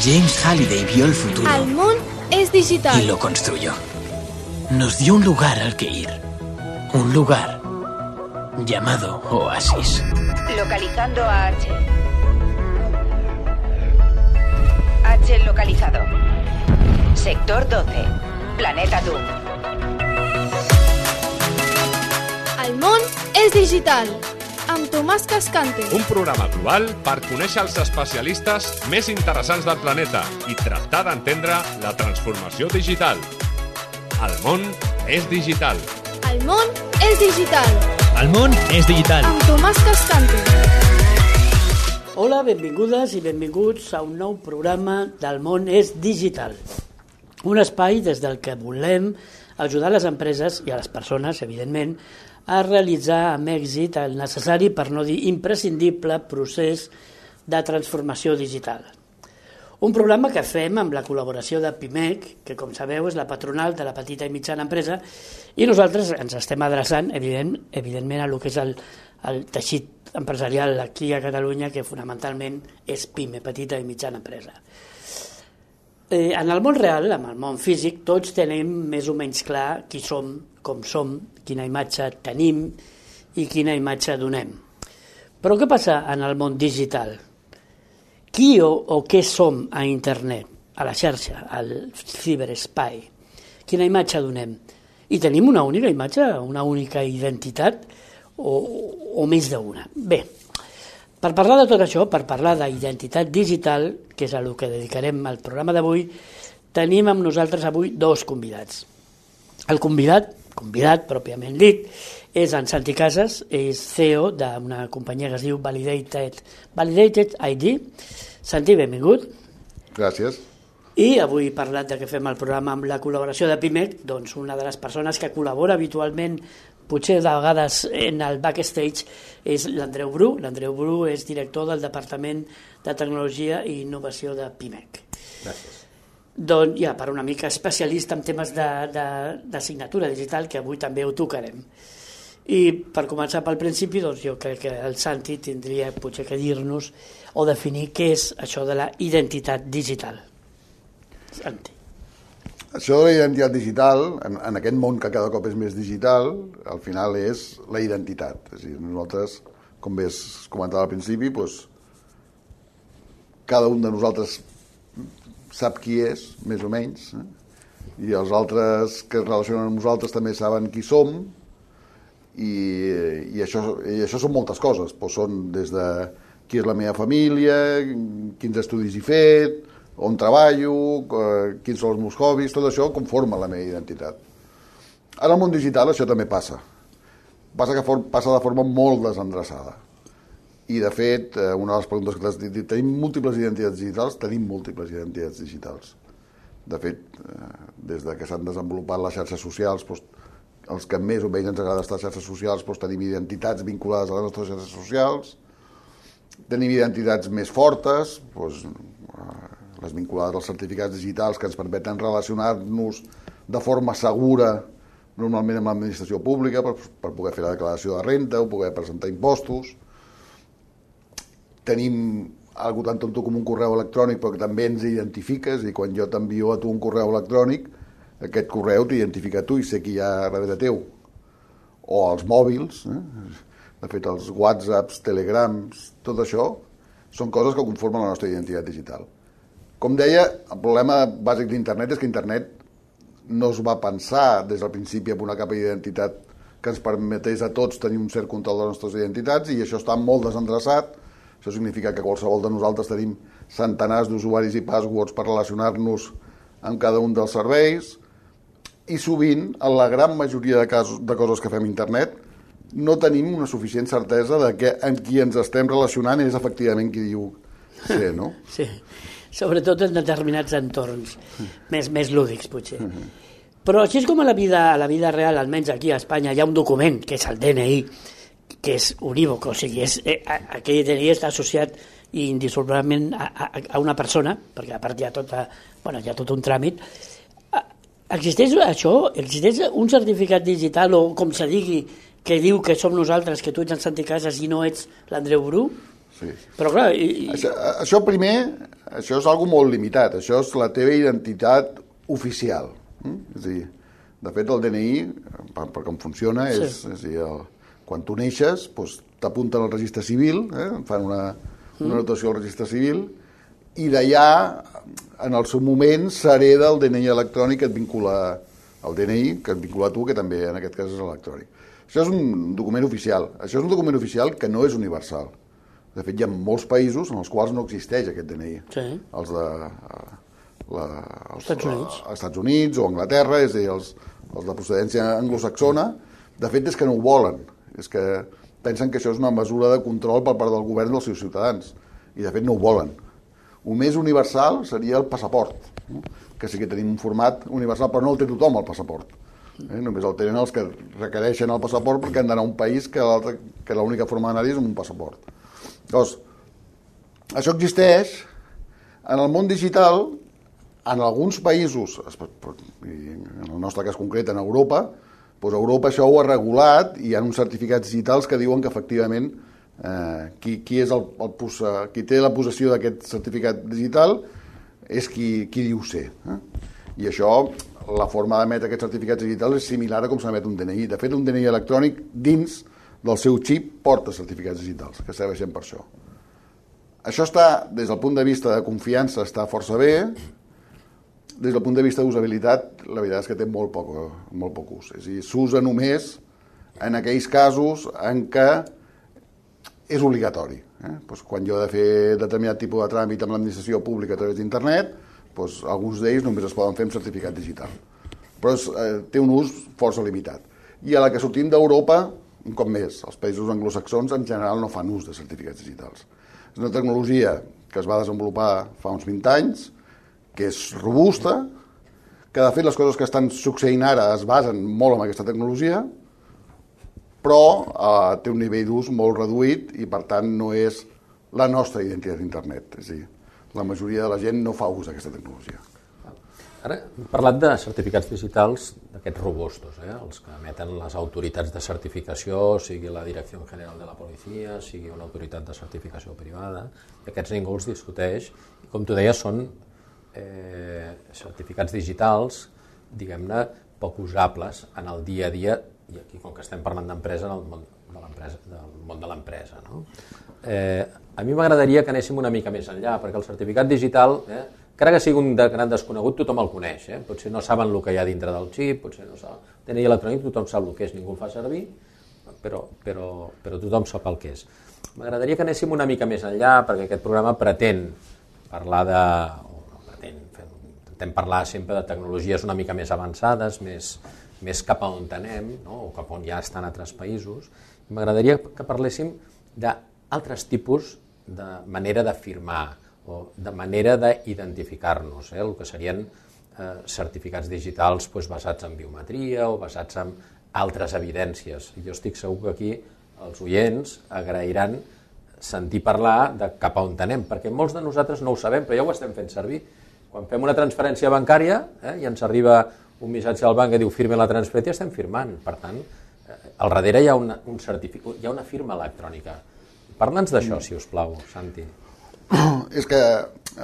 James Halliday vio el futuro. El món es digital. Y lo construyó. Nos dio un lugar al que ir. Un lugar llamado Oasis. Localizando a H. H localizado. Sector 12. Planeta Doom. El món és digital. Amb Tomàs Cascante. Un programa global per conèixer els especialistes més interessants del planeta i tractar d'entendre la transformació digital. El món és digital. El món és digital. El món és digital. Amb Tomàs Cascante. Hola, benvingudes i benvinguts a un nou programa del món és digital. Un espai des del que volem ajudar les empreses i a les persones, evidentment, a realitzar amb èxit el necessari, per no dir imprescindible, procés de transformació digital. Un programa que fem amb la col·laboració de PIMEC, que com sabeu és la patronal de la petita i mitjana empresa, i nosaltres ens estem adreçant evidentment a lo que és el teixit empresarial aquí a Catalunya, que fonamentalment és PIME, petita i mitjana empresa. En el món real, en el món físic, tots tenim més o menys clar qui som, com som, quina imatge tenim i quina imatge donem. Però què passa en el món digital? Qui o què som a internet, a la xarxa, al ciberespai? Quina imatge donem? I tenim una única imatge, una única identitat o més d'una? Bé, per parlar de tot això, per parlar d'identitat digital, que és a lo que dedicarem al programa d'avui, tenim amb nosaltres avui dos convidats. El convidat pròpiament dit, és en Santi Casas, és CEO d'una companyia que es diu Validated ID. Santi, benvingut. Gràcies. I avui he parlat de que fem el programa amb la col·laboració de PIMEC, doncs una de les persones que col·labora habitualment, potser de vegades en el backstage, és l'Andreu Bru. L'Andreu Bru és director del Departament de Tecnologia i Innovació de PIMEC. Gràcies. Doncs ja, per una mica especialista en temes de signatura digital, que avui també ho tocarem. I per començar pel principi, doncs jo crec que el Santi tindria potser que dir-nos o definir què és això de la identitat digital. Santi. Això de la identitat digital, en aquest món que cada cop és més digital, al final és la identitat. És a dir, nosaltres, com bé es comentava al principi, doncs, cada un de nosaltres sap qui és, més o menys, i els altres que es relacionen amb nosaltres també saben qui som, i això són moltes coses. Doncs són des de qui és la meva família, quins estudis he fet, on treballo, quins són els meus hobbies, tot això conforma la meva identitat. En el món digital això també passa. Passa de forma molt desendreçada. I, de fet, una de les preguntes que t'has dit, tenim múltiples identitats digitals? Tenim múltiples identitats digitals. De fet, des que s'han desenvolupat les xarxes socials, doncs, els que més o menys ens agrada estar a xarxes socials, doncs, tenim identitats vinculades a les nostres xarxes socials, tenim identitats més fortes, doncs, les vinculades als certificats digitals que ens permeten relacionar-nos de forma segura, normalment amb l'administració pública, per poder fer la declaració de renta o poder presentar impostos. Tenim algo tan tonto com un correu electrònic, però que també ens identifica, és a dir, quan jo t'envio a tu un correu electrònic, aquest correu t'identifica a tu i sé qui hi ha darrere teu. O els mòbils, de fet els whatsapps, telegrams, tot això són coses que conformen la nostra identitat digital. Com deia, el problema bàsic d'internet és que internet no es va pensar des del principi amb una capa d'identitat que ens permetés a tots tenir un cert control de les nostres identitats, i això està molt desendreçat. Això significa que qualsevol de nosaltres tenim centenars d'usuaris i passwords per relacionar-nos amb cada un dels serveis, i sovint, en la gran majoria de coses que fem a internet, no tenim una suficient certesa de que amb qui ens estem relacionant és efectivament qui diu ser, no? Sí, sobretot en determinats entorns més lúdics, potser. Però així és com a la vida real, almenys aquí a Espanya, hi ha un document, que és el DNI, que és unívoc, o sigui, aquell DNI està associat indissolublement a una persona, perquè a part hi ha tot un tràmit. Existeix això? Existeix un certificat digital, o com se digui, que diu que som nosaltres, que tu ets en Santi Casas i no ets l'Andreu Bru? Sí. Però clar... Això primer, això és algo molt limitat, això és la teva identitat oficial. És a dir, de fet, el DNI, per com funciona, és a dir, quan tu neixes, doncs, t'apunten al registre civil, fan una anotació al registre civil, i d'allà, en el seu moment, s'hereda el DNI electrònic que et vincula al DNI, que et vincula a tu, que també en aquest cas és electrònic. Això és un document oficial. Això és un document oficial que no és universal. De fet, hi ha molts països en els quals no existeix aquest DNI. Sí. Els de Estats Units o Anglaterra, és a dir, els de procedència anglosaxona, de fet és que no ho volen. És que pensen que això és una mesura de control per part del govern dels seus ciutadans. I de fet no ho volen. El més universal seria el passaport, que sí que tenim un format universal, però no el té tothom, el passaport. Només el tenen els que requereixen el passaport perquè han d'anar a un país que l'única forma d'anar-hi és amb un passaport. Llavors, això existeix. En el món digital, en alguns països, en el nostre cas concret, en Europa, doncs Europa això ho ha regulat i hi ha uns certificats digitals que diuen que efectivament qui té la possessió d'aquest certificat digital és qui diu ser. I això, la forma d'emetre aquests certificats digitals és similar a com s'emet un DNI. De fet, un DNI electrònic dins del seu xip porta certificats digitals, que serveixen per això. Això està, des del punt de vista de confiança, està força bé. Des del punt de vista d'usabilitat, la veritat és que té molt poc ús. És a dir, s'usa només en aquells casos en què és obligatori. Doncs quan jo he de fer determinat tipus de tràmit amb l'administració pública a través d'internet, doncs alguns d'ells només es poden fer amb certificat digital. Però té un ús força limitat. I a la que sortim d'Europa, un cop més, els països anglosaxons en general no fan ús de certificats digitals. És una tecnologia que es va desenvolupar fa uns 20 anys, que és robusta, que de fet les coses que estan succeint ara es basen molt en aquesta tecnologia, però té un nivell d'ús molt reduït i per tant no és la nostra identitat d'internet. És a dir, la majoria de la gent no fa ús d'aquesta tecnologia. Ara hem parlat de certificats digitals d'aquests robustos, els que emeten les autoritats de certificació, sigui la Direcció General de la Policia, sigui una autoritat de certificació privada, i aquests ningú els discuteix. I com tu deies, són certificats digitals, diguem-ne, poc usables en el dia a dia, i aquí, com que estem parlant d'empresa, en el món de l'empresa. No? A mi m'agradaria que anéssim una mica més enllà, perquè el certificat digital, encara que sigui un gran desconegut, tothom el coneix. Potser no saben el que hi ha dintre del xip, potser no saben. DNI electrònic tothom sap el que és, ningú el fa servir, però tothom sap el que és. M'agradaria que anéssim una mica més enllà, perquè aquest programa pretén parlar intentem parlar sempre de tecnologies una mica més avançades, més cap a on anem, no? O cap on ja estan altres països. M'agradaria que parléssim d'altres tipus de manera de firmar o de manera d'identificar-nos, el que serien certificats digitals basats en biometria o basats en altres evidències. Jo estic segur que aquí els oients agrairan sentir parlar de cap a on anem, perquè molts de nosaltres no ho sabem, però ja ho estem fent servir. Quan fem una transferència bancària i ens arriba un missatge al banc que diu firme la transferència, estem firmant. Per tant, al darrere hi ha un certificat, hi ha una firma electrònica. Parla'ns d'això, si us plau, Santi. És que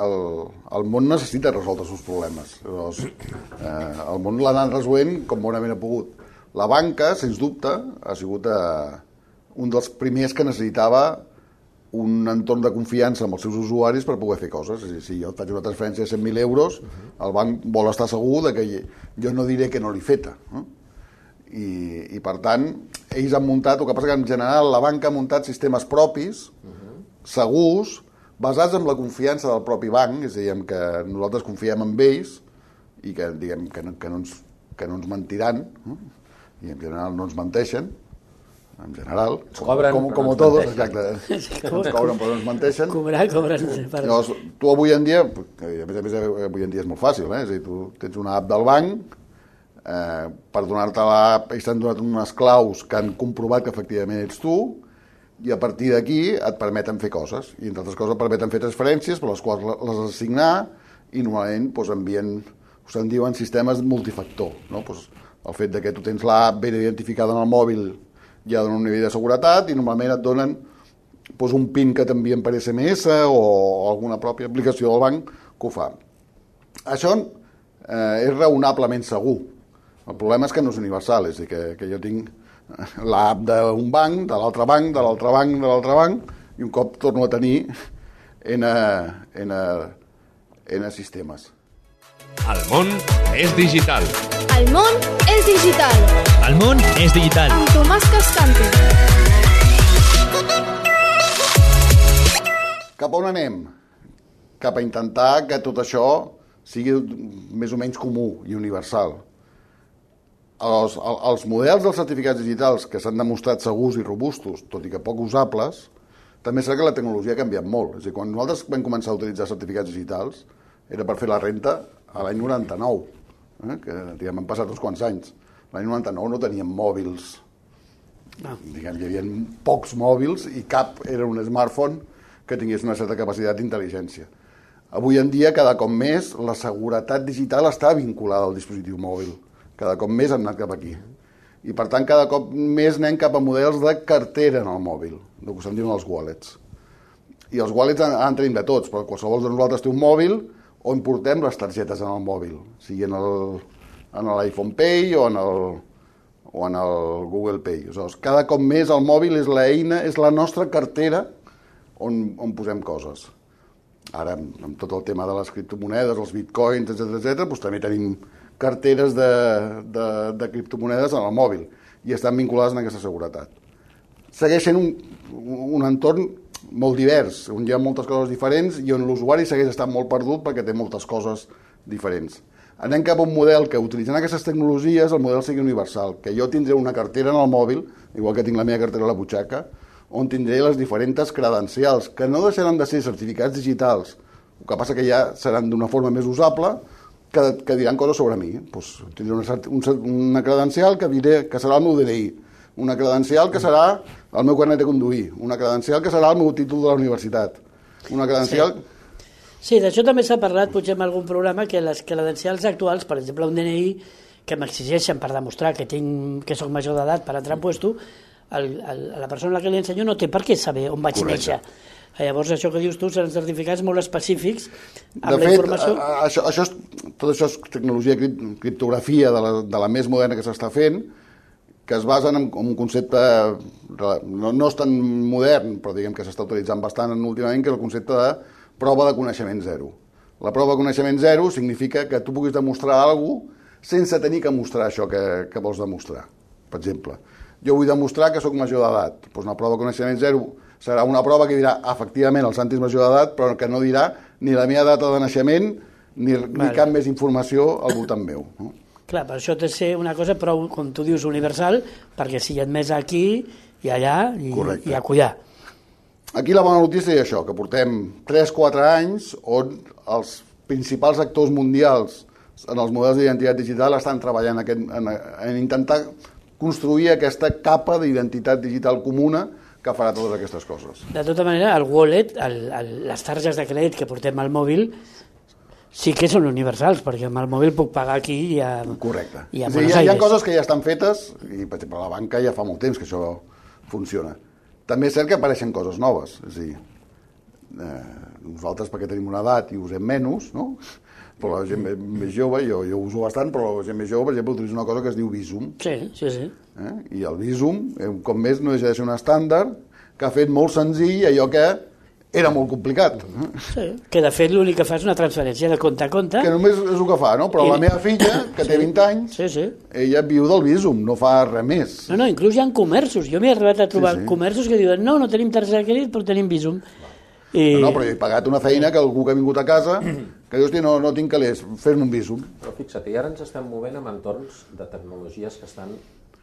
el món necessita resoldre els seus problemes. El món l'ha anat resolent com bonament ha pogut. La banca, sens dubte, ha sigut un dels primers que necessitava un entorn de confiança amb els seus usuaris per poder fer coses. És a dir, si jo faig una transferència de 100.000 euros, el banc vol estar segur que jo no diré que no l'he feta. I per tant, ells han muntat, el que passa que en general la banca ha muntat sistemes propis, segurs, basats en la confiança del propi banc, és a dir, que nosaltres confiem en ells i que, diguem, que no ens mentiran, i en general no ens menteixen, en general, com tots, exacte, ens cobren però no ens menteixen. Cobren. Llavors, tu avui en dia, a més avui en dia és molt fàcil, és a dir, tu tens una app del banc, per donar-te l'app ells t'han donat unes claus que han comprovat que efectivament ets tu, i a partir d'aquí et permeten fer coses, i entre altres coses et permeten fer transferències per les quals les has de signar, i normalment envien, se'n diuen sistemes multifactor, no? El fet que tu tens l'app ben identificada en el mòbil ja dona un nivell de seguretat i normalment et donen doncs un PIN que t'envien per SMS o alguna pròpia aplicació del banc que ho fa. Això és raonablement segur. El problema és que no és universal, és a dir, que jo tinc l'app d'un banc, de l'altre banc, de l'altre banc, de l'altre banc, i un cop torno a tenir N sistemes. El món és digital. El món és digital. El món és digital. Amb Tomàs Cascante. Cap on anem? Cap a intentar que tot això sigui més o menys comú i universal. Els models dels certificats digitals que s'han demostrat segurs i robustos, tot i que poc usables, també és cert que la tecnologia ha canviat molt. És a dir, quan nosaltres vam començar a utilitzar certificats digitals, era per fer la renta a l'any 99, que diguem, han passat uns quants anys. L'any 99 no teníem mòbils. Diguem, hi havia pocs mòbils i cap era un smartphone que tingués una certa capacitat d'intel·ligència. Avui en dia, cada cop més, la seguretat digital està vinculada al dispositiu mòbil. Cada cop més hem anat cap aquí. I, per tant, cada cop més anem cap a models de cartera en el mòbil, el que se'n diuen els wallets. I els wallets en tenim de tots, però qualsevol de nosaltres té un mòbil on portem les targetes en el mòbil, sigui en l'iPhone Pay o en el Google Pay. Aleshores, cada cop més el mòbil és l'eina, és la nostra cartera on posem coses. Ara, amb tot el tema de les criptomonedes, els bitcoins, etc., doncs també tenim carteres de criptomonedes en el mòbil i estan vinculades en aquesta seguretat. Segueix sent un entorn molt divers, on hi ha moltes coses diferents i on l'usuari segueix estant molt perdut perquè té moltes coses diferents. Anem cap a un model que, utilitzant aquestes tecnologies, el model sigui universal, que jo tindré una cartera en el mòbil, igual que tinc la meva cartera a la butxaca, on tindré les diferents credencials, que no deixaran de ser certificats digitals, el que passa que ja seran d'una forma més usable, que diran coses sobre mi. Pues, tindré una credencial que serà el meu DNI, una credencial que serà el meu carnet de conduir, una credencial que serà el meu títol de la universitat, una credencial... Sí, d'això també s'ha parlat potser en algun programa, que les credencials actuals, per exemple un DNI, que m'exigeixen per demostrar que soc major d'edat per entrar en puesto, la persona a la que li ensenyo no té per què saber on vaig néixer. Llavors, això que dius tu seran certificats molt específics amb la informació... De fet, tot això és tecnologia, criptografia de la més moderna que s'està fent, que es basen en un concepte, no és tan modern, però diguem que s'està utilitzant bastant últimament, que és el concepte de prova de coneixement zero. La prova de coneixement zero significa que tu puguis demostrar alguna cosa sense tenir que mostrar això que vols demostrar. Per exemple, jo vull demostrar que sóc major d'edat. Doncs una prova de coneixement zero serà una prova que dirà, efectivament, el Santi és major d'edat, però que no dirà ni la meva data de naixement ni cap més informació al voltant meu. No? Clar, per això té de ser una cosa prou, com tu dius, universal, perquè sigui admès aquí i allà i a collar. Aquí la bona notícia és això, que portem 3-4 anys on els principals actors mundials en els models d'identitat digital estan treballant en intentar construir aquesta capa d'identitat digital comuna que farà totes aquestes coses. De tota manera, el wallet, les targes de crèdit que portem al mòbil, sí que són universals, perquè amb el mòbil puc pagar aquí i a Correcte. I a Buenos Aires. Hi ha coses que ja estan fetes, i per exemple la banca ja fa molt temps que això funciona. També és cert que apareixen coses noves, és a dir, nosaltres perquè tenim una edat i usem menys, no? Però la gent més jove, jo uso bastant, però la gent més jove, per exemple, utilitza una cosa que es diu Visum. Sí. I el Visum, un cop més, no deixa de ser un estàndard que ha fet molt senzill allò que era molt complicat. Sí, que de fet l'únic que fa és una transferència de compte a compte. Que només és el que fa, no? Però la meva filla, que té 20 anys, ella viu del Visum, no fa res més. No, inclús hi ha comerços. Jo m'he arribat a trobar comerços que diuen no tenim targeta de crèdit, però tenim Visum. No, però jo he pagat una feina que algú que ha vingut a casa que diu, hosti, no tinc calés, fes-me un Visum. Però fixa't, i ara ens estem movent en entorns de tecnologies que estan,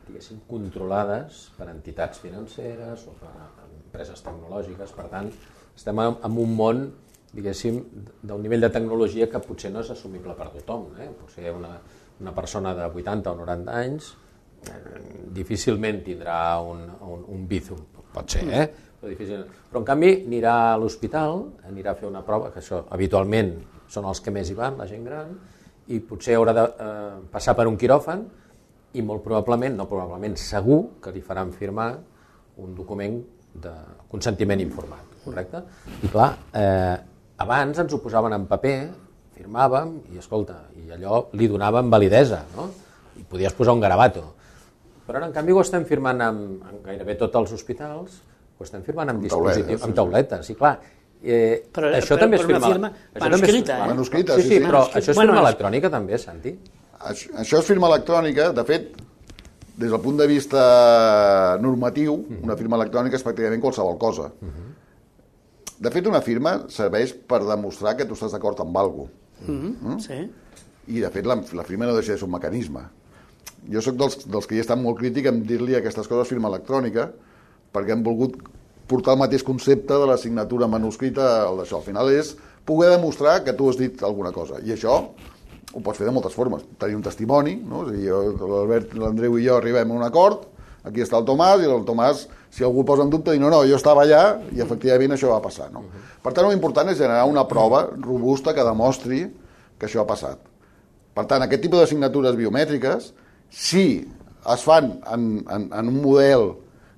diguéssim, controlades per entitats financeres o per empreses tecnològiques. Per tant, estem en un món, diguéssim, d'un nivell de tecnologia que potser no és assumible per tothom. Potser una persona de 80 o 90 anys difícilment tindrà un Bizum. Pot ser, però difícilment. Però en canvi anirà a l'hospital, anirà a fer una prova, que això habitualment són els que més hi van, la gent gran, i potser haurà de passar per un quiròfan i molt probablement, no probablement, segur que li faran firmar un document de consentiment informat, correcte? I clar, abans ens ho posaven en paper, firmàvem i, escolta, i allò li donàvem validesa, no? I podies posar un garabato. Però ara, en canvi, ho estem firmant en gairebé tots els hospitals, ho estem firmant amb dispositius, amb tauletes, i clar, això també és firma... Manuscrita, Manuscrita, sí, però això és firma electrònica també, Santi? Això és firma electrònica, de fet, des del punt de vista normatiu, una firma electrònica és pràcticament qualsevol cosa. De fet, una firma serveix per demostrar que tu estàs d'acord amb alguna cosa. Sí. I, de fet, la firma no deixa de ser un mecanisme. Jo sóc dels que hi estan molt crític en dir-li a aquestes coses firma electrònica, perquè han volgut portar el mateix concepte de la signatura manuscrita al d'això. Al final és poder demostrar que tu has dit alguna cosa. I això ho pots fer de moltes formes. Tenir un testimoni, no? És a dir, l'Albert, l'Andreu i jo arribem a un acord, aquí està el Tomàs, i el Tomàs, si algú posa en dubte, diu no, jo estava allà i efectivament això va passar. No? Per tant, l'important és generar una prova robusta que demostri que això ha passat. Per tant, aquest tipus de signatures biomètriques, si es fan en un model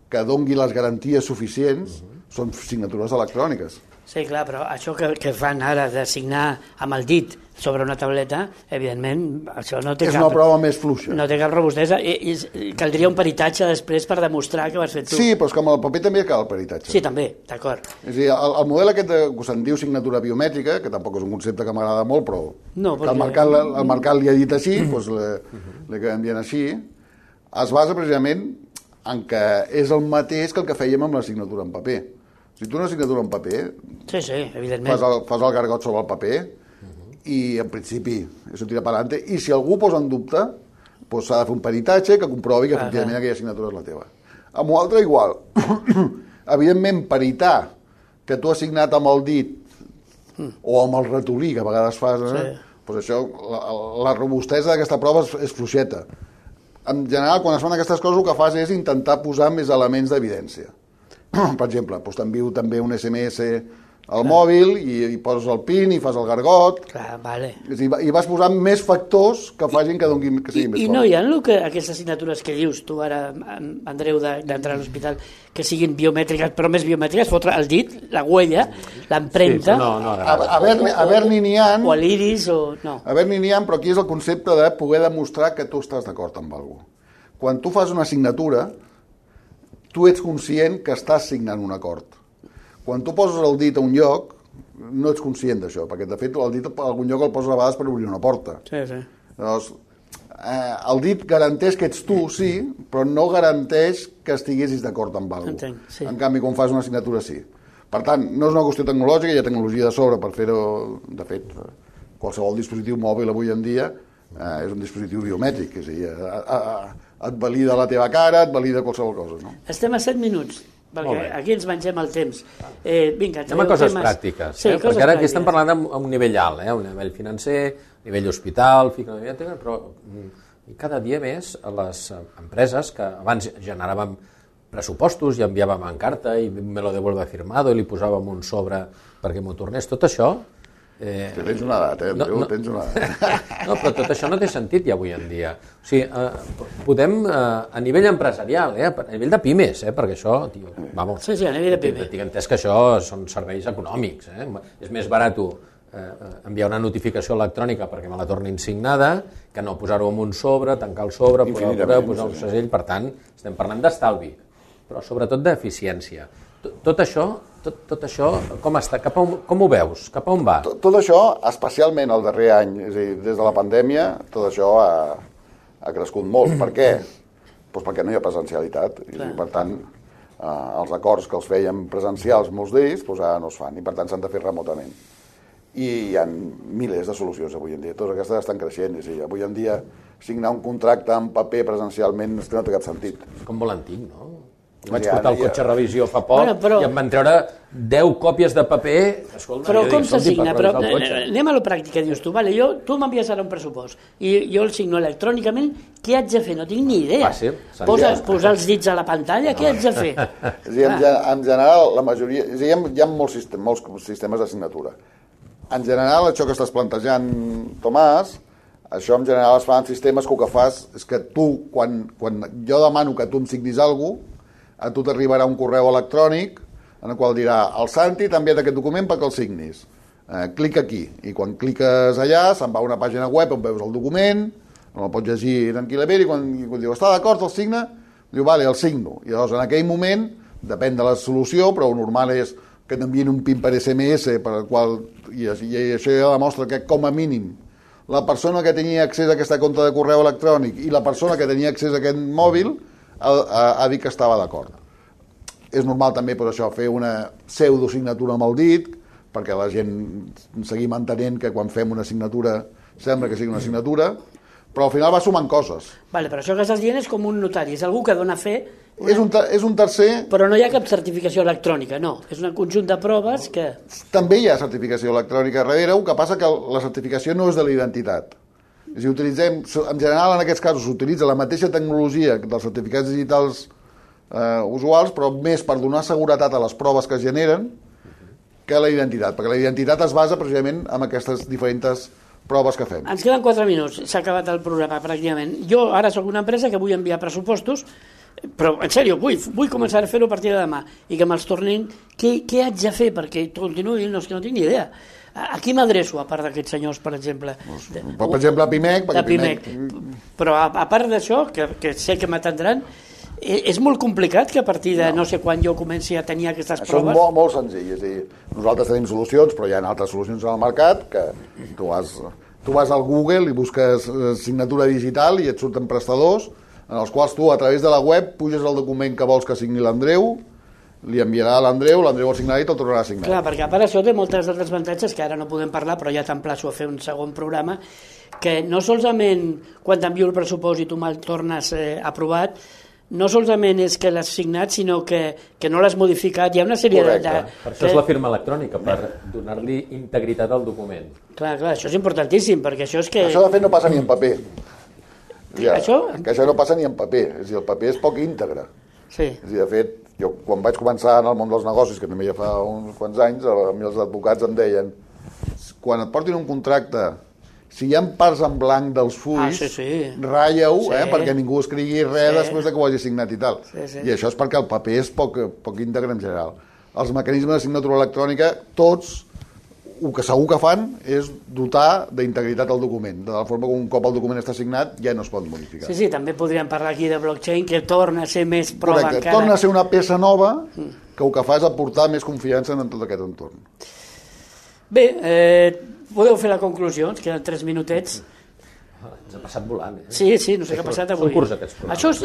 que dongui les garanties suficients, són signatures electròniques. Sí, clar, però això que fan ara de signar amb el dit sobre una tauleta, evidentment, això no té És una prova més fluixa. No té cap robustesa i caldria un peritatge després per demostrar que ho has fet tu. Sí, però és que amb el paper també cal el peritatge. Sí, també, d'acord. És a dir, el model aquest que se'n diu signatura biomètrica, que tampoc és un concepte que m'agrada molt, però no, que el mercat li ha dit així, doncs l'he canviat així, es basa precisament en que és el mateix que el que fèiem amb la signatura en paper. Si tu una signatura en paper, sí, evidentment. Fas el gargot sobre el paper i en principi això tira per endavant, i si algú posa en dubte, doncs s'ha de fer un peritatge que comprovi que efectivament aquella signatura és la teva. Amb un altre igual. Evidentment, peritar que tu has signat amb el dit o amb el ratolí, que a vegades fas, doncs això, la robustesa d'aquesta prova és fluixeta. En general, quan es fan aquestes coses, el que fas és intentar posar més elements d'evidència. Per exemple, doncs t'envio també un SMS al mòbil i poses el PIN i fas el gargot. Clar, vale. I vas posant més factors que facin que siguin més I no hi ha aquestes signatures que dius tu ara, Andreu, d'entrar a l'hospital, que siguin biomètriques, però més biomètriques, fotre el dit, la huella, l'empremta... A Berni n'hi ha... O l'iris, o... no. A Berni n'hi ha, però aquí és el concepte de poder demostrar que tu estàs d'acord amb alguna cosa. Quan tu fas una signatura, tu ets conscient que estàs signant un acord. Quan tu poses el dit a un lloc, no ets conscient d'això, perquè de fet el dit a algun lloc el poses a vegades per obrir una porta. Sí. Llavors, el dit garanteix que ets tu, sí, però no garanteix que estiguessis d'acord amb alguna cosa. Sí. En canvi, quan fas una signatura, sí. Per tant, no és una qüestió tecnològica, hi ha tecnologia de sobre per fer-ho. De fet, qualsevol dispositiu mòbil avui en dia és un dispositiu biomètric, és a dir, et valida la teva cara, et valida qualsevol cosa. No? Estem a 7 minuts, perquè aquí ens mengem el temps. Vinga, anem a coses pràctiques, perquè ara aquí estem parlant a un nivell alt, a un nivell financer, a nivell hospital, però cada dia més les empreses que abans generaven pressupostos i enviàvem en carta i me lo devuelve firmado i li posàvem un sobre perquè m'ho tornés, tot això... Tens una edat, Andreu, tens una edat. No, però tot això no té sentit ja avui en dia. O sigui, podem, a nivell empresarial, a nivell de pimes, perquè això, tio, vamos, sí, a nivell de pimes. Tinc entès que això són serveis econòmics, és més barat enviar una notificació electrònica perquè me la tornin signada que no posar-ho en un sobre, tancar el sobre, posar un segell, per tant, estem parlant d'estalvi, però sobretot d'eficiència. Tot això, com està? Com ho veus? Cap a on va? Tot això, especialment el darrer any, és a dir, des de la pandèmia, tot això ha crescut molt. Per què? Doncs perquè no hi ha presencialitat. I, per tant, els acords que els fèiem presencials, molts d'ells, doncs ara no es fan. I, per tant, s'han de fer remotament. I hi ha milers de solucions avui en dia. Totes aquestes estan creixent. És a dir, avui en dia, signar un contracte en paper presencialment no té cap sentit. Com molt antic, no? Jo vaig portar el cotxe a revisió fa poc i em van treure 10 còpies de paper. Escolta, però com s'assigna? Anem a lo pràctic que dius tu. Vale, tu m'envies ara un pressupost i jo el signo electrònicament. Què haig de fer? No tinc ni idea. Posar els dits a la pantalla? Què haig de fer? En general, la majoria... Hi ha molts sistemes de signatura. En general, això que estàs plantejant, Tomàs, això en general es fa en sistemes que el que fas és que tu, quan jo demano que tu em signis alguna cosa, a tu t'arribarà un correu electrònic en el qual dirà el Santi t'ha enviat aquest document perquè el signis. Clica aquí, i quan cliques allà se'n va a una pàgina web on veus el document, on el pots llegir tranquil·lament, i quan diu està d'acord, el signa, diu vale, el signo. I llavors en aquell moment, depèn de la solució, però el normal és que t'envien un PIN per SMS, per el qual, i això ja demostra que com a mínim la persona que tenia accés a aquesta compte de correu electrònic i la persona que tenia accés a aquest mòbil ha dit que estava d'acord. És normal també per això fer una pseudosignatura amb el dit, perquè la gent seguim entenent que quan fem una signatura sembla que sigui una signatura, però al final va sumant coses. Vale, però això que estàs dient és com un notari, és algú que dona fe... És un tercer... Però no hi ha cap certificació electrònica, no. És un conjunt de proves que... També hi ha certificació electrònica darrere, el que passa que la certificació no és de la identitat. És a dir, utilitzem, en general en aquests casos s'utilitza la mateixa tecnologia dels certificats digitals usuals, però més per donar seguretat a les proves que es generen que la identitat, perquè la identitat es basa precisament en aquestes diferents proves que fem. Ens queden 4 minuts, s'ha acabat el programa pràcticament. Jo ara sóc una empresa que vull enviar pressupostos, però en sèrio, vull començar a fer-ho a partir de demà i que me'ls tornin. Què haig de fer perquè continuï? No, és que no tinc ni idea. A qui m'adreço, a part d'aquests senyors, per exemple? Per exemple, a Pimec. Però a part d'això, que sé que m'atendran, és molt complicat que a partir de no sé quan jo comenci a tenir aquestes proves? Són molt senzill, és a dir, nosaltres tenim solucions, però hi ha altres solucions al mercat que tu vas al Google i busques signatura digital i et surten prestadors en els quals tu a través de la web puges el document que vols que signi l'Andreu, li enviarà a l'Andreu el signarà i te'l tornarà a signar. Clar, perquè a part això té moltes altres avantatges que ara no podem parlar, però ja t'emplaço a fer un segon programa, que no solament quan t'envio el pressupost i tu me'l tornes aprovat, no solament és que l'has signat, sinó que no l'has modificat. Hi ha una sèrie de... Per això és la firma electrònica, per donar-li integritat al document. Clar, això és importantíssim, perquè això és que... Això de fet no passa ni en paper. Això? Que això no passa ni en paper, és a dir, el paper és poc íntegre. Sí. És a dir, de fet, jo quan vaig començar en el món dels negocis, que també ja fa uns quants anys, a mi els advocats em deien quan et portin un contracte, si hi ha parts en blanc dels fulls, ratlla-ho, perquè ningú escrigui res després que ho hagi signat i tal. I això és perquè el paper és poc íntegre en general. Els mecanismes de signatura electrònica, tots, el que segur que fan és dotar d'integritat al document, de la forma que un cop el document està signat ja no es pot modificar. Sí, també podríem parlar aquí de blockchain, que torna a ser més prova encara. Torna a ser una peça nova que el que fa és aportar més confiança en tot aquest entorn. Bé, podeu fer la conclusió, ens queden 3 minutets. Ens ha passat volant, Sí, no sé què ha passat avui. Són curts aquests programes. Això és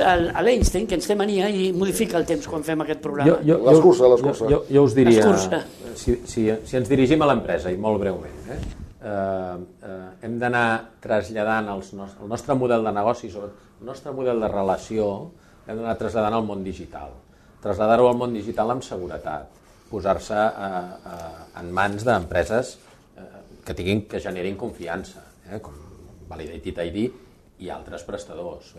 l'Einstein, que ens té mania i modifica el temps quan fem aquest programa. L'escurça. Jo us diria, si ens dirigim a l'empresa, i molt breument, hem d'anar traslladant el nostre model de negoci, el nostre model de relació, hem d'anar traslladant al món digital. Traslladar-ho al món digital amb seguretat, posar-se en mans d'empreses que generin confiança, com Validated ID i altres prestadors.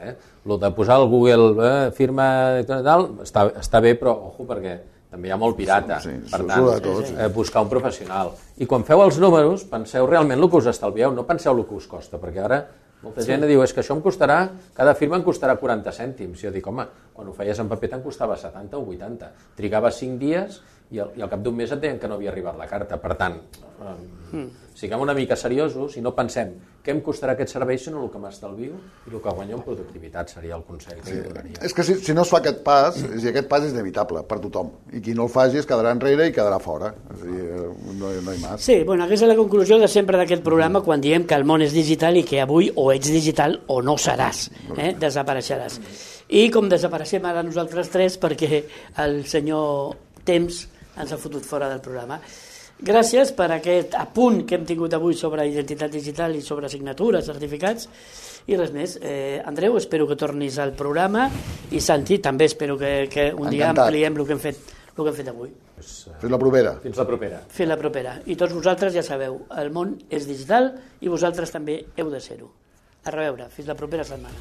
Lo de posar al Google firma tal, està bé, però ojo, perquè també hi ha molt pirata. Per tant, buscar un professional. I quan feu els números, penseu realment el que us estalvieu, no penseu el que us costa, perquè ara molta gent diu, és que això em costarà, cada firma em costarà 40 cèntims. Jo dic, home, quan ho feies en paper te'n costava 70 o 80. Trigaves 5 dies i al cap d'un mes et deien que no havia arribat la carta. Per tant, siguem una mica seriosos i no pensem què em costarà aquest servei, sinó el que m'estalvio i el que guanyo en productivitat seria el consell que li donaria. És que si no es fa aquest pas, aquest pas és inevitable per tothom. I qui no el faci es quedarà enrere i quedarà fora. És a dir, no hi ha més. Sí, aquesta és la conclusió de sempre d'aquest programa quan diem que el món és digital i que avui o ets digital o no seràs, desapareixeràs. I com desapareixem ara nosaltres 3 perquè el senyor Temps ens ha fotut fora del programa. Gràcies per aquest apunt que hem tingut avui sobre identitat digital i sobre signatures, certificats i res més. Andreu, espero que tornis al programa i Santi, també espero que un dia ampliem el que hem fet avui. Fins la propera. Fins la propera. I tots vosaltres ja sabeu, el món és digital i vosaltres també heu de ser-ho. A reveure, fins la propera setmana.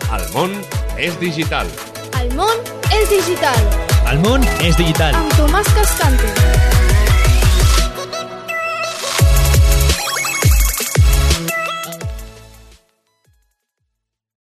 El món és digital. El món és digital. El món és digital. Amb Tomàs Cascante.